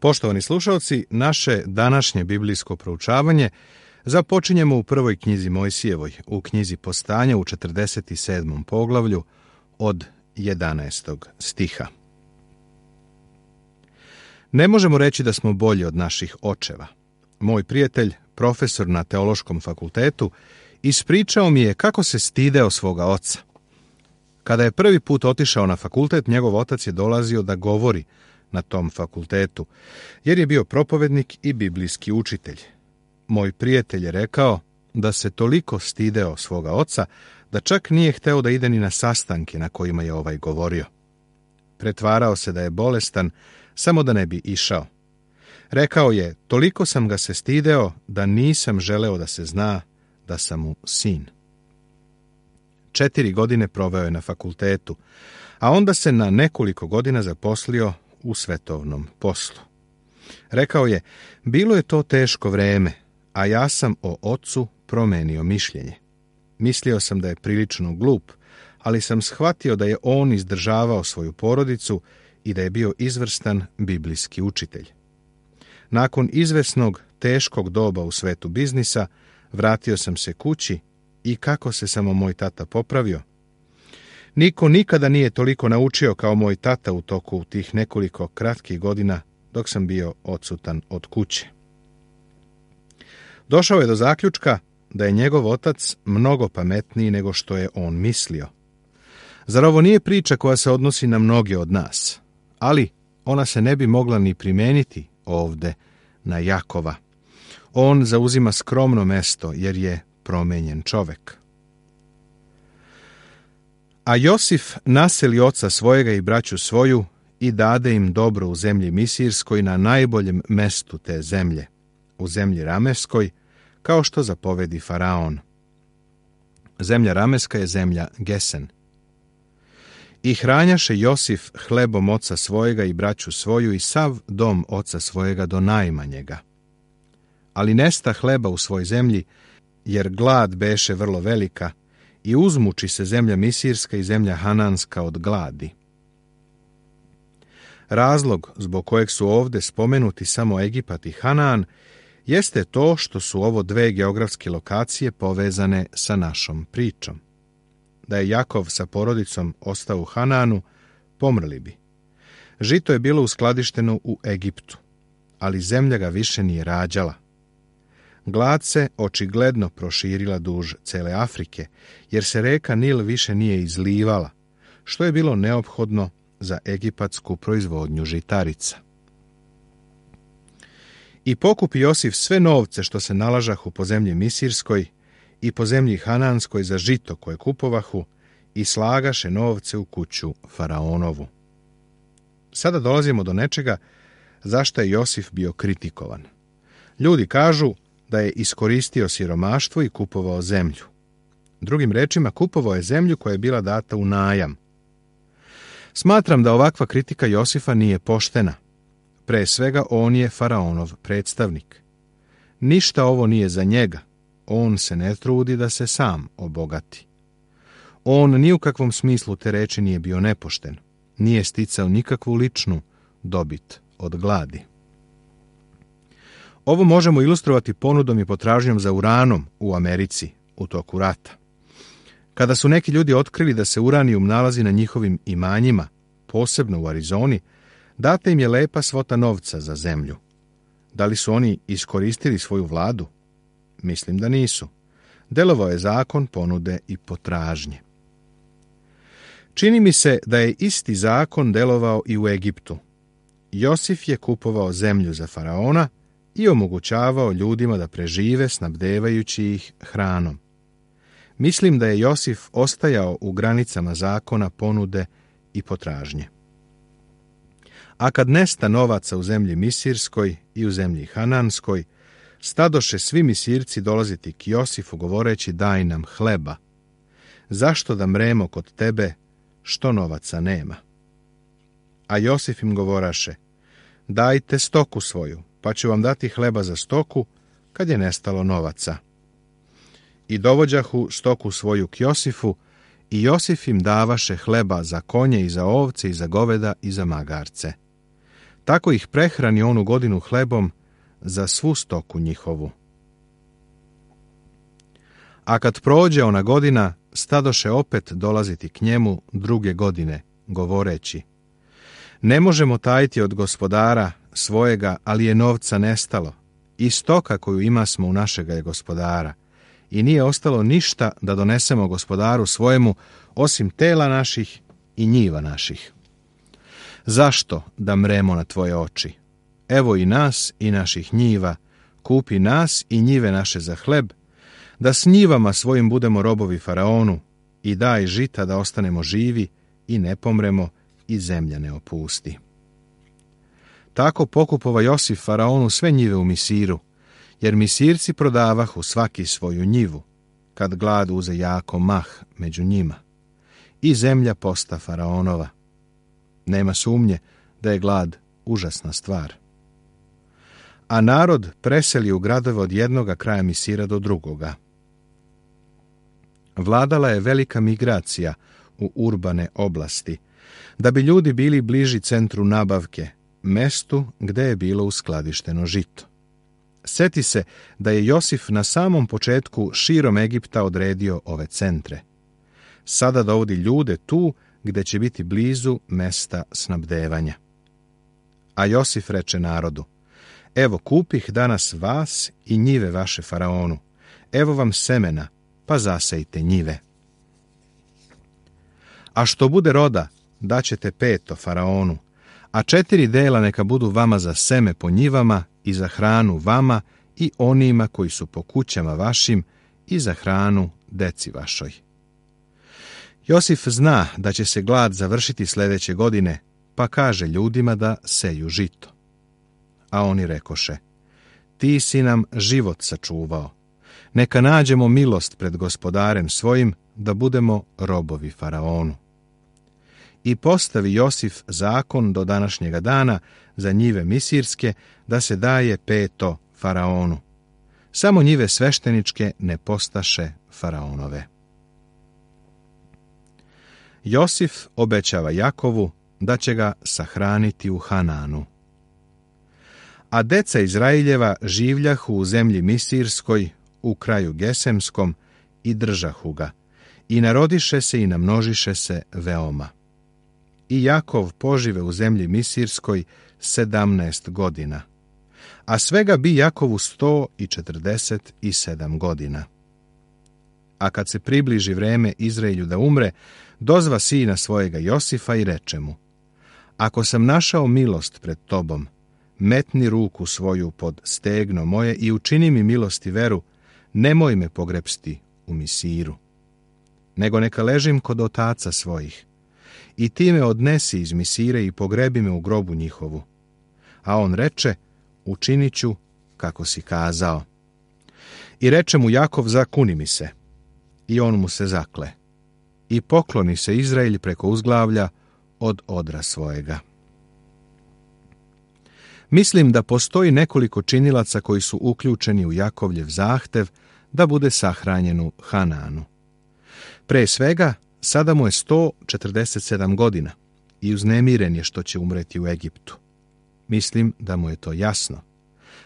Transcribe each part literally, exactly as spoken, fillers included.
Poštovani slušalci, naše današnje biblijsko proučavanje započinjemo u prvoj knjizi Mojsijevoj, u knjizi Postanja u četrdeset sedmom poglavlju od jedanaestog stiha. Ne možemo reći da smo bolji od naših očeva. Moj prijatelj, profesor na teološkom fakultetu, ispričao mi je kako se stideo svoga oca. Kada je prvi put otišao na fakultet, njegov otac je dolazio da govori na tom fakultetu, jer je bio propovednik i biblijski učitelj. Moj prijatelj je rekao da se toliko stideo svoga oca, da čak nije hteo da ide ni na sastanke na kojima je ovaj govorio. Pretvarao se da je bolestan, samo da ne bi išao. Rekao je, toliko sam ga se stideo da nisam želeo da se zna da sam mu sin. Četiri godine proveo je na fakultetu, a onda se na nekoliko godina zaposlio u svetovnom poslu. Rekao je, bilo je to teško vreme, a ja sam o ocu promenio mišljenje. Mislio sam da je prilično glup, ali sam shvatio da je on izdržavao svoju porodicu i da je bio izvrstan biblijski učitelj. Nakon izvesnog, teškog doba u svetu biznisa, vratio sam se kući i kako se samo moj tata popravio. Niko nikada nije toliko naučio kao moj tata u toku tih nekoliko kratkih godina dok sam bio odsutan od kuće. Došao je do zaključka da je njegov otac mnogo pametniji nego što je on mislio. Zar ovo nije priča koja se odnosi na mnoge od nas? Ali ona se ne bi mogla ni primeniti ovde na Jakova. On zauzima skromno mesto jer je promenjen čovek. A Josif naseli oca svojega i braću svoju i dade im dobro u zemlji Misirskoj na najboljem mestu te zemlje, u zemlji Rameskoj, kao što zapovedi Faraon. Zemlja Rameska je zemlja Gesen. I hranjaše Josif hlebom oca svojega i braću svoju i sav dom oca svojega do najmanjega. Ali nesta hleba u svoj zemlji, jer glad beše vrlo velika, i uzmuči se zemlja Misirska i zemlja Hananska od gladi. Razlog zbog kojeg su ovde spomenuti samo Egipat i Hanan jeste to što su ovo dve geografske lokacije povezane sa našom pričom. Da je Jakov sa porodicom ostao u Hananu, pomrli bi. Žito je bilo uskladišteno u Egiptu, ali zemlja ga više nije rađala. Glad se očigledno proširila duž cele Afrike, jer se reka Nil više nije izlivala, što je bilo neophodno za egipatsku proizvodnju žitarica. I pokupi Josif sve novce što se nalažahu po zemlji Misirskoj i po zemlji Hananskoj za žito koje kupovahu i slagaše novce u kuću Faraonovu. Sada dolazimo do nečega zašto je Josif bio kritikovan. Ljudi kažu da je iskoristio siromaštvo i kupovao zemlju. Drugim rečima, kupovao je zemlju koja je bila data u najam. Smatram da ovakva kritika Josifa nije poštena. Pre svega, on je Faraonov predstavnik. Ništa ovo nije za njega. On se ne trudi da se sam obogati. On ni u kakvom smislu te reči nije bio nepošten. Nije sticao nikakvu ličnu dobit od gladi. Ovo možemo ilustrovati ponudom i potražnjom za uranom u Americi u toku rata. Kada su neki ljudi otkrili da se uranijum nalazi na njihovim imanjima, posebno u Arizoni, data im je lepa svota novca za zemlju. Da li su oni iskoristili svoju vladu? Mislim da nisu. Delovao je zakon ponude i potražnje. Čini mi se da je isti zakon delovao i u Egiptu. Josif je kupovao zemlju za Faraona i omogućavao ljudima da prežive snabdevajući ih hranom. Mislim da je Josif ostajao u granicama zakona ponude i potražnje. A kad nesta novaca u zemlji Misirskoj i u zemlji Hananskoj, stadoše svi Misirci dolaziti k Josifu govoreći daj nam hleba. Zašto da mremo kod tebe što novaca nema? A Josif im govoraše, dajte stoku svoju, pa ću vam dati hleba za stoku kad je nestalo novaca. I dovođahu stoku svoju k Josifu, i Josif im davaše hleba za konje i za ovce i za goveda i za magarce. tako ih prehrani onu godinu hlebom za svu stoku njihovu. A kad prođe ona godina, stadoše opet dolaziti k njemu druge godine, govoreći: ne možemo tajiti od gospodara svojega, ali je novca nestalo, i stoka koju ima smo u našega je gospodara, i nije ostalo ništa da donesemo gospodaru svojemu, osim tela naših i njiva naših. Zašto da mremo na tvoje oči? Evo i nas i naših njiva, kupi nas i njive naše za hleb, da s njivama svojim budemo robovi faraonu, i daj žita da ostanemo živi i ne pomremo i zemlja ne opusti. Tako pokupova Josif faraonu sve njive u Misiru, jer Misirci prodavahu svaki svoju njivu, kad glad uze jako mah među njima, i zemlja posta faraonova. Nema sumnje da je glad užasna stvar. A narod preseli u gradove od jednoga kraja Misira do drugoga. Vladala je velika migracija u urbane oblasti, da bi ljudi bili bliži centru nabavke, mestu gde je bilo uskladišteno žito. Seti se da je Josif na samom početku širom Egipta odredio ove centre. Sada dovodi ljude tu gde će biti blizu mesta snabdevanja. A Josif reče narodu: evo kupih danas vas i njive vaše faraonu, evo vam semena, pa zasejte njive. A što bude roda, daćete peto faraonu, a četiri dela neka budu vama za seme po njivama i za hranu vama i onima koji su po kućama vašim i za hranu deci vašoj. Josif zna da će se glad završiti sljedeće godine, pa kaže ljudima da seju žito. A oni rekoše: ti si nam život sačuvao, neka nađemo milost pred gospodarem svojim, da budemo robovi faraonu. I postavi Josif zakon do današnjega dana za njive misirske, da se daje peto faraonu. Samo njive svešteničke ne postaše faraonove. Josif obećava Jakovu da će ga sahraniti u Hananu. A deca Izraeljeva življahu u zemlji Misirskoj, u kraju Gesemskom, i držahu ga, i narodiše se i namnožiše se veoma. I Jakov požive u zemlji Misirskoj sedamnaest godina, a svega bi Jakovu sto i četrdeset i sedam godina. A kad se približi vreme Izraelju da umre, dozva sina svojega Josifa i reče mu: ako sam našao milost pred tobom, metni ruku svoju pod stegno moje i učini mi milost i veru, nemoj me pogrepsti u Misiru, nego neka ležim kod otaca svojih. I ti me odnesi iz Misire i pogrebi me u grobu njihovu. A on reče: učinit ću kako si kazao. I reče mu Jakov: zakuni mi se. I on mu se zakle. I pokloni se Izraelj preko uzglavlja od odra svojega. Mislim da postoji nekoliko činilaca koji su uključeni u Jakovljev zahtev da bude sahranjen u Hananu. Pre svega, sada mu je sto četrdeset sedam godina i uznemiren je što će umreti u Egiptu. Mislim da mu je to jasno.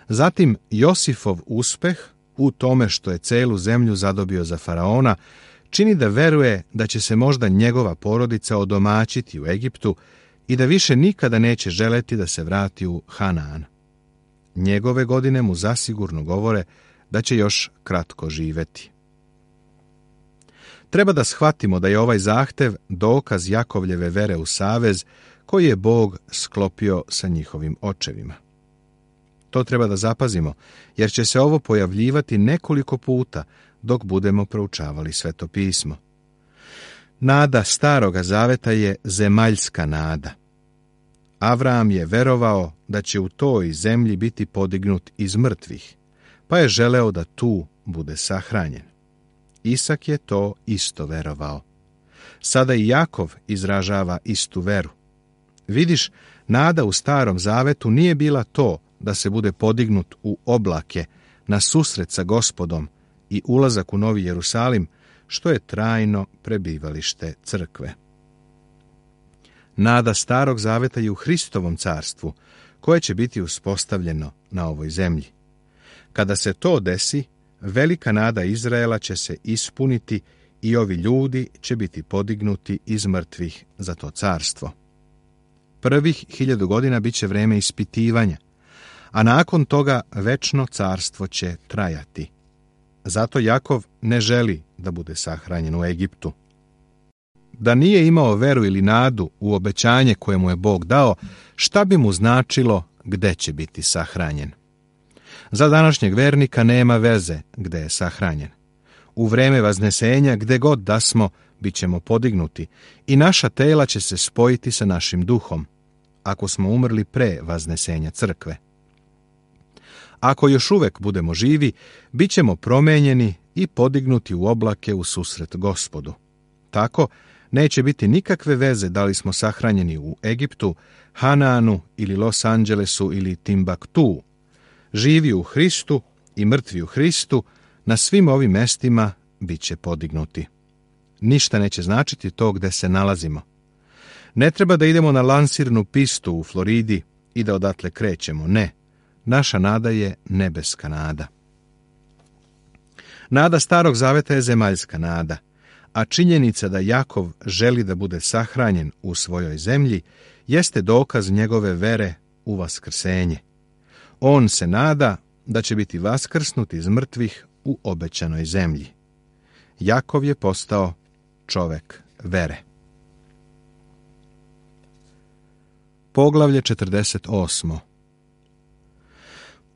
Zatim, Josifov uspeh u tome što je celu zemlju zadobio za faraona čini da veruje da će se možda njegova porodica odomaćiti u Egiptu i da više nikada neće želeti da se vrati u Hanaan. Njegove godine mu zasigurno govore da će još kratko živeti. Treba da shvatimo da je ovaj zahtev dokaz Jakovljeve vere u savez koji je Bog sklopio sa njihovim očevima. To treba da zapazimo, jer će se ovo pojavljivati nekoliko puta dok budemo proučavali Sveto pismo. Nada Staroga Zaveta je zemaljska nada. Avram je verovao da će u toj zemlji biti podignut iz mrtvih, pa je želeo da tu bude sahranjen. Isak je to isto verovao. Sada i Jakov izražava istu veru. Vidiš, nada u Starom Zavetu nije bila to da se bude podignut u oblake na susret sa Gospodom i ulazak u Novi Jerusalim, što je trajno prebivalište crkve. Nada Starog Zaveta je u Hristovom carstvu, koje će biti uspostavljeno na ovoj zemlji. Kada se to desi, velika nada Izraela će se ispuniti i ovi ljudi će biti podignuti iz mrtvih za to carstvo. Prvih hiljadu godina bit će vreme ispitivanja, a nakon toga večno carstvo će trajati. Zato Jakov ne želi da bude sahranjen u Egiptu. Da nije imao veru ili nadu u obećanje koje mu je Bog dao, šta bi mu značilo gde će biti sahranjen? Za današnjeg vernika nema veze gde je sahranjen. U vreme vaznesenja, gde god da smo, bit ćemo podignuti i naša tela će se spojiti sa našim duhom, ako smo umrli pre vaznesenja crkve. Ako još uvek budemo živi, bit ćemo promenjeni i podignuti u oblake u susret Gospodu. Tako, neće biti nikakve veze da li smo sahranjeni u Egiptu, Hanaanu ili Los Angelesu ili Timbaktu. Živi u Hristu i mrtvi u Hristu, na svim ovim mestima bit će podignuti. Ništa neće značiti to gde se nalazimo. Ne treba da idemo na lansirnu pistu u Floridi i da odatle krećemo, ne. Naša nada je nebeska nada. Nada Starog Zaveta je zemaljska nada, a činjenica da Jakov želi da bude sahranjen u svojoj zemlji jeste dokaz njegove vere u vaskrsenje. On se nada da će biti vaskrsnut iz mrtvih u obećanoj zemlji. Jakov je postao čovek vere. Poglavlje četrdeset osmo.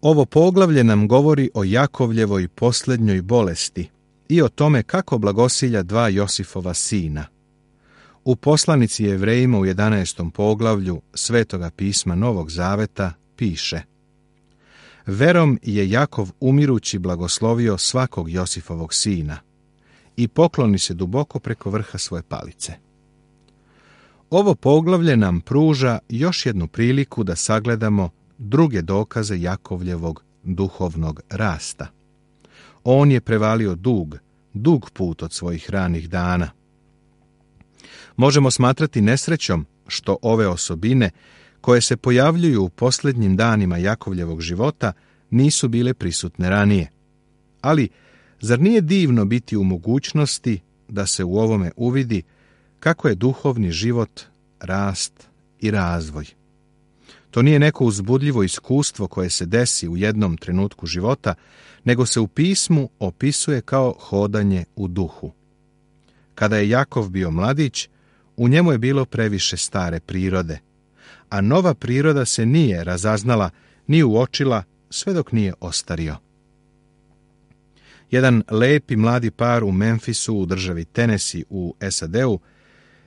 Ovo poglavlje nam govori o Jakovljevoj posljednjoj bolesti i o tome kako blagosilja dva Josifova sina. U poslanici Jevrejima u jedanaestom poglavlju Svetoga pisma Novog Zaveta piše: Verom je Jakov umirući blagoslovio svakog Josifovog sina i pokloni se duboko preko vrha svoje palice. Ovo poglavlje nam pruža još jednu priliku da sagledamo druge dokaze Jakovljevog duhovnog rasta. On je prevalio dug, dug put od svojih ranih dana. Možemo smatrati nesrećom što ove osobine, koje se pojavljuju u posljednjim danima Jakovljevog života, nisu bile prisutne ranije. Ali, zar nije divno biti u mogućnosti da se u ovome uvidi kako je duhovni život, rast i razvoj? To nije neko uzbudljivo iskustvo koje se desi u jednom trenutku života, nego se u pismu opisuje kao hodanje u duhu. Kada je Jakov bio mladić, u njemu je bilo previše stare prirode, a nova priroda se nije razaznala ni uočila sve dok nije ostario. Jedan lepi mladi par u Memphisu u državi Tennessee u S A D-u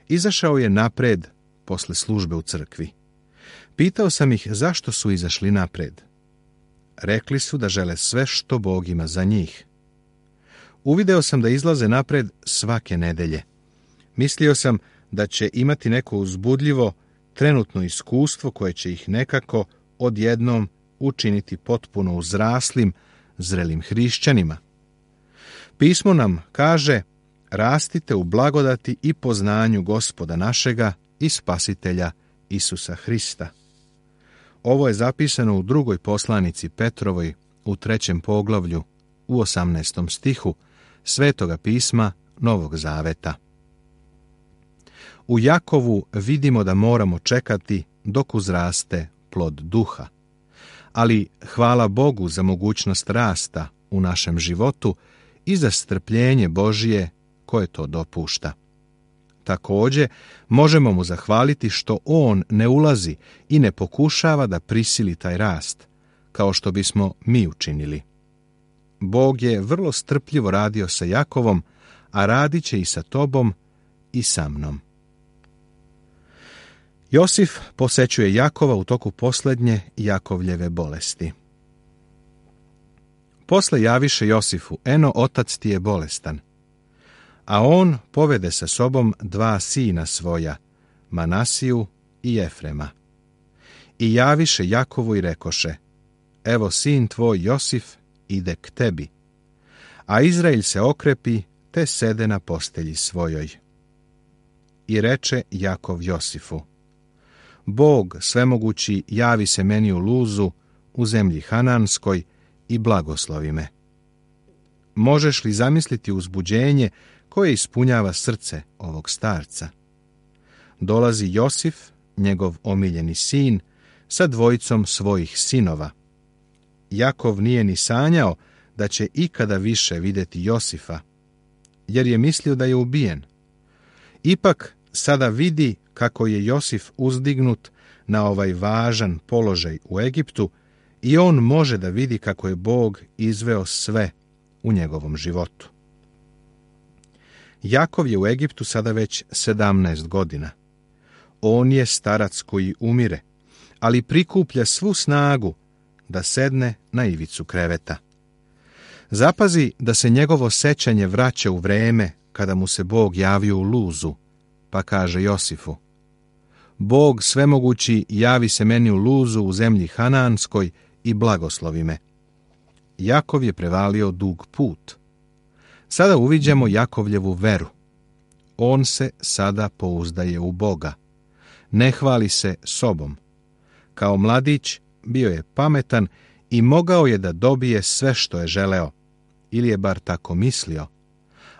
izašao je napred posle službe u crkvi. Pitao sam ih zašto su izašli napred. Rekli su da žele sve što Bog ima za njih. Uvideo sam da izlaze napred svake nedelje. Mislio sam da će imati neko uzbudljivo, trenutno iskustvo koje će ih nekako odjednom učiniti potpuno uzraslim, zrelim hrišćanima. Pismo nam kaže: rastite u blagodati i poznanju Gospoda našega i Spasitelja Isusa Hrista. Ovo je zapisano u drugoj poslanici Petrovoj u trećem poglavlju u osamnaestom stihu Svetoga pisma Novog Zaveta. U Jakovu vidimo da moramo čekati dok uzraste plod duha. Ali hvala Bogu za mogućnost rasta u našem životu i za strpljenje Božije koje to dopušta. Također, možemo mu zahvaliti što on ne ulazi i ne pokušava da prisili taj rast, kao što bismo mi učinili. Bog je vrlo strpljivo radio sa Jakovom, a radit će i sa tobom i sa mnom. Josif posećuje Jakova u toku posljednje Jakovljeve bolesti. Posle javiše Josifu: eno, otac ti je bolestan. A on povede sa sobom dva sina svoja, Manasiju i Efrema. I javiše Jakovu i rekoše: evo sin tvoj Josif ide k tebi. A Izrael se okrepi, te sede na postelji svojoj. I reče Jakov Josifu: Bog svemogući javi se meni u Luzu, u zemlji Hananskoj i blagoslovi me. Možeš li zamisliti uzbuđenje koje ispunjava srce ovog starca? Dolazi Josif, njegov omiljeni sin, sa dvojicom svojih sinova. Jakov nije ni sanjao da će ikada više vidjeti Josifa, jer je mislio da je ubijen. Ipak sada vidi kako je Josif uzdignut na ovaj važan položaj u Egiptu i on može da vidi kako je Bog izveo sve u njegovom životu. Jakov je u Egiptu sada već sedamnaest godina. On je starac koji umire, ali prikuplja svu snagu da sedne na ivicu kreveta. Zapazi da se njegovo sećanje vraća u vreme kada mu se Bog javio u Luzu, pa kaže Josifu: Bog svemogući javi se meni u Luzu u zemlji Hananskoj i blagoslovi me. Jakov je prevalio dug put. Sada uviđamo Jakovljevu veru. On se sada pouzdaje u Boga. Ne hvali se sobom. Kao mladić bio je pametan i mogao je da dobije sve što je želeo, ili je bar tako mislio,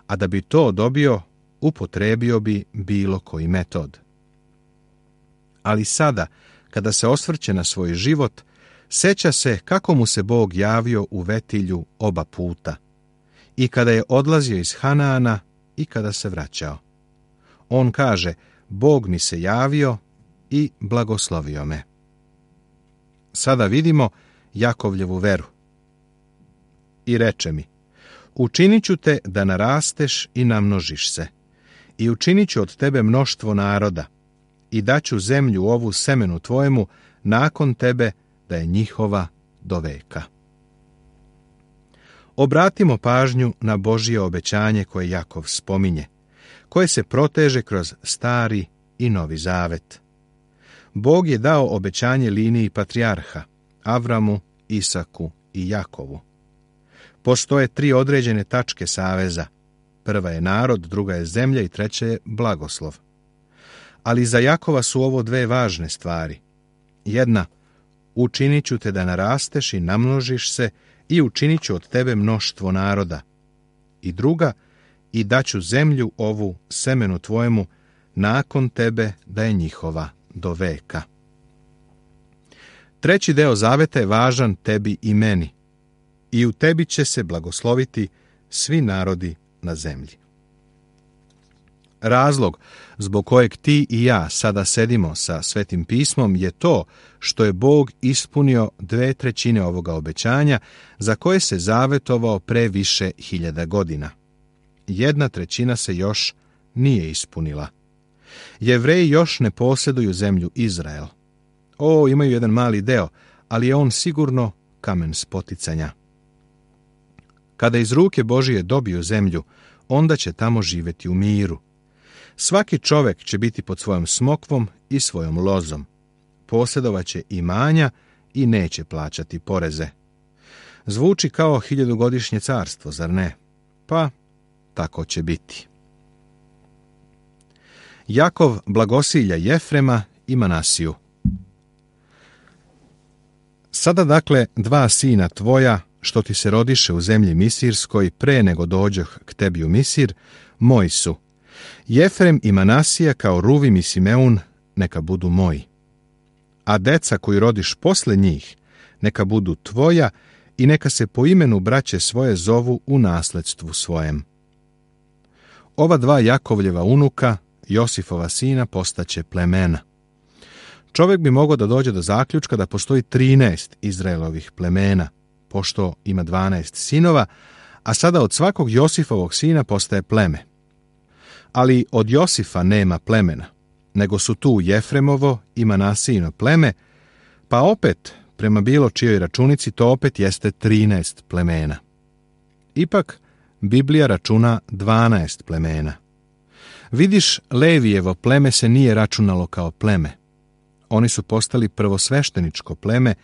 a da bi to dobio, upotrebio bi bilo koji metod. Ali sada, kada se osvrće na svoj život, seća se kako mu se Bog javio u Vetilju oba puta, i kada je odlazio iz Hanaana i kada se vraćao. On kaže: Bog mi se javio i blagoslovio me. Sada vidimo Jakovljevu veru. I reče mi: učinit ću te da narasteš i namnožiš se, i učinit ću od tebe mnoštvo naroda, i daću zemlju ovu semenu tvojemu nakon tebe da je njihova do veka. Obratimo pažnju na Božje obećanje koje Jakov spominje, koje se proteže kroz Stari i Novi Zavet. Bog je dao obećanje liniji patrijarha, Avramu, Isaku i Jakovu. Postoje tri određene tačke saveza. Prva je narod, druga je zemlja i treća je blagoslov. Ali za Jakova su ovo dve važne stvari. Jedna, učinit ću te da narasteš i namnožiš se i učinit ću od tebe mnoštvo naroda. I druga, i daću zemlju ovu semenu tvojemu nakon tebe da je njihova do veka. Treći deo zaveta je važan tebi i meni. I u tebi će se blagosloviti svi narodi na zemlji. Razlog zbog kojeg ti i ja sada sedimo sa Svetim pismom je to što je Bog ispunio dve trećine ovoga obećanja za koje se zavetovao pre više hiljada godina. Jedna trećina se još nije ispunila. Jevreji još ne posjeduju zemlju Izrael. O, imaju jedan mali deo, ali je on sigurno kamen spoticanja. Kada iz ruke Božije dobiju zemlju, onda će tamo živjeti u miru. Svaki čovjek će biti pod svojom smokvom i svojom lozom. Posjedovaće imanja i neće plaćati poreze. Zvuči kao hiljadugodišnje carstvo, zar ne? Pa, tako će biti. Jakov blagosilja Jefrema i Manasiju. Sada dakle dva sina tvoja, što ti se rodiše u zemlji Misirskoj pre nego dođoh k tebi u Misir, moji su. Jefrem i Manasija kao Ruvim i Simeun neka budu moji. A deca koji rodiš posle njih neka budu tvoja i neka se po imenu braće svoje zovu u nasledstvu svojem. Ova dva Jakovljeva unuka, Josifova sina, postaće plemena. Čovjek bi mogao da dođe do zaključka da postoji trinaest Izraelovih plemena, pošto ima dvanaest sinova, a sada od svakog Josifovog sina postaje pleme. Ali od Josifa nema plemena, nego su tu Jefremovo i Manasijino pleme, pa opet, prema bilo čijoj računici, to opet jeste trinaest plemena. Ipak, Biblija računa dvanaest plemena. Vidiš, Levijevo pleme se nije računalo kao pleme. Oni su postali prvosvešteničko pleme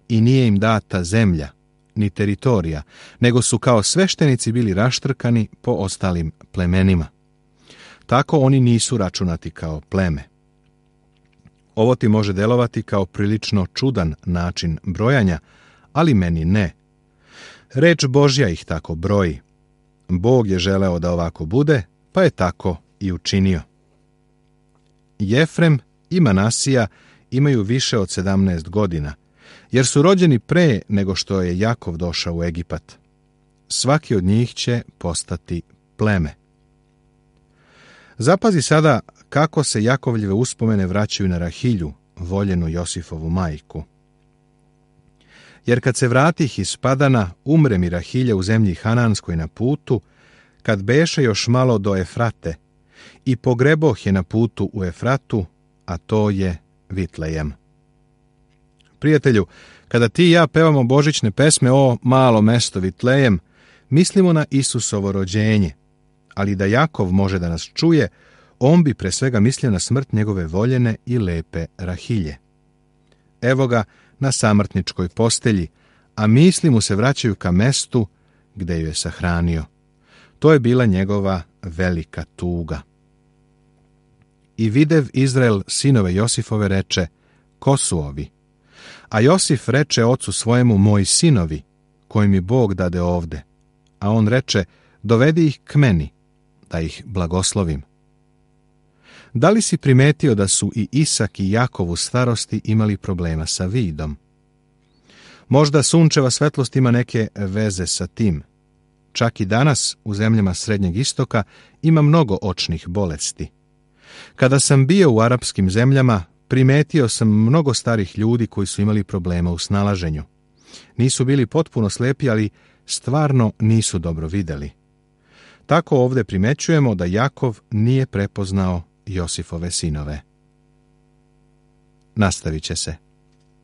i nije im data zemlja, ni teritorija, nego su kao sveštenici bili raštrkani po ostalim plemenima. Tako oni nisu računati kao pleme. Ovo ti može delovati kao prilično čudan način brojanja, ali meni ne. Reč Božja ih tako broji. Bog je želeo da ovako bude, pa je tako i učinio. Jefrem i Manasija imaju više od sedamnaest godina, jer su rođeni pre nego što je Jakov došao u Egipat. Svaki od njih će postati pleme. Zapazi sada kako se Jakovljeve uspomene vraćaju na Rahilju, voljenu Josifovu majku. Jer kad se vratih iz Padana, umre mi Rahilja u zemlji Hananskoj na putu, kad beše još malo do Efrate, i pogreboh je na putu u Efratu, a to je Vitlejem. Prijatelju, kada ti i ja pevamo božićne pesme o malo mesto Vitlejem, mislimo na Isusovo rođenje, ali da Jakov može da nas čuje, on bi pre svega mislio na smrt njegove voljene i lepe Rahilje. Evo ga na samrtničkoj postelji, a misli mu se vraćaju ka mestu gde ju je sahranio. To je bila njegova velika tuga. I videv Izrael sinove Josifove reče, ko su ovi? A Josif reče ocu svojemu, moji sinovi, koji mi Bog dade ovde. A on reče, dovedi ih k meni, da ih blagoslovim. Da li si primetio da su i Isak i Jakov u starosti imali problema sa vidom? Možda sunčeva svetlost ima neke veze sa tim. Čak i danas u zemljama Srednjeg istoka ima mnogo očnih bolesti. Kada sam bio u arapskim zemljama, primetio sam mnogo starih ljudi koji su imali problema u snalaženju. Nisu bili potpuno slepi, ali stvarno nisu dobro videli. Tako ovdje primećujemo da Jakov nije prepoznao Josifove sinove. Nastavit će se.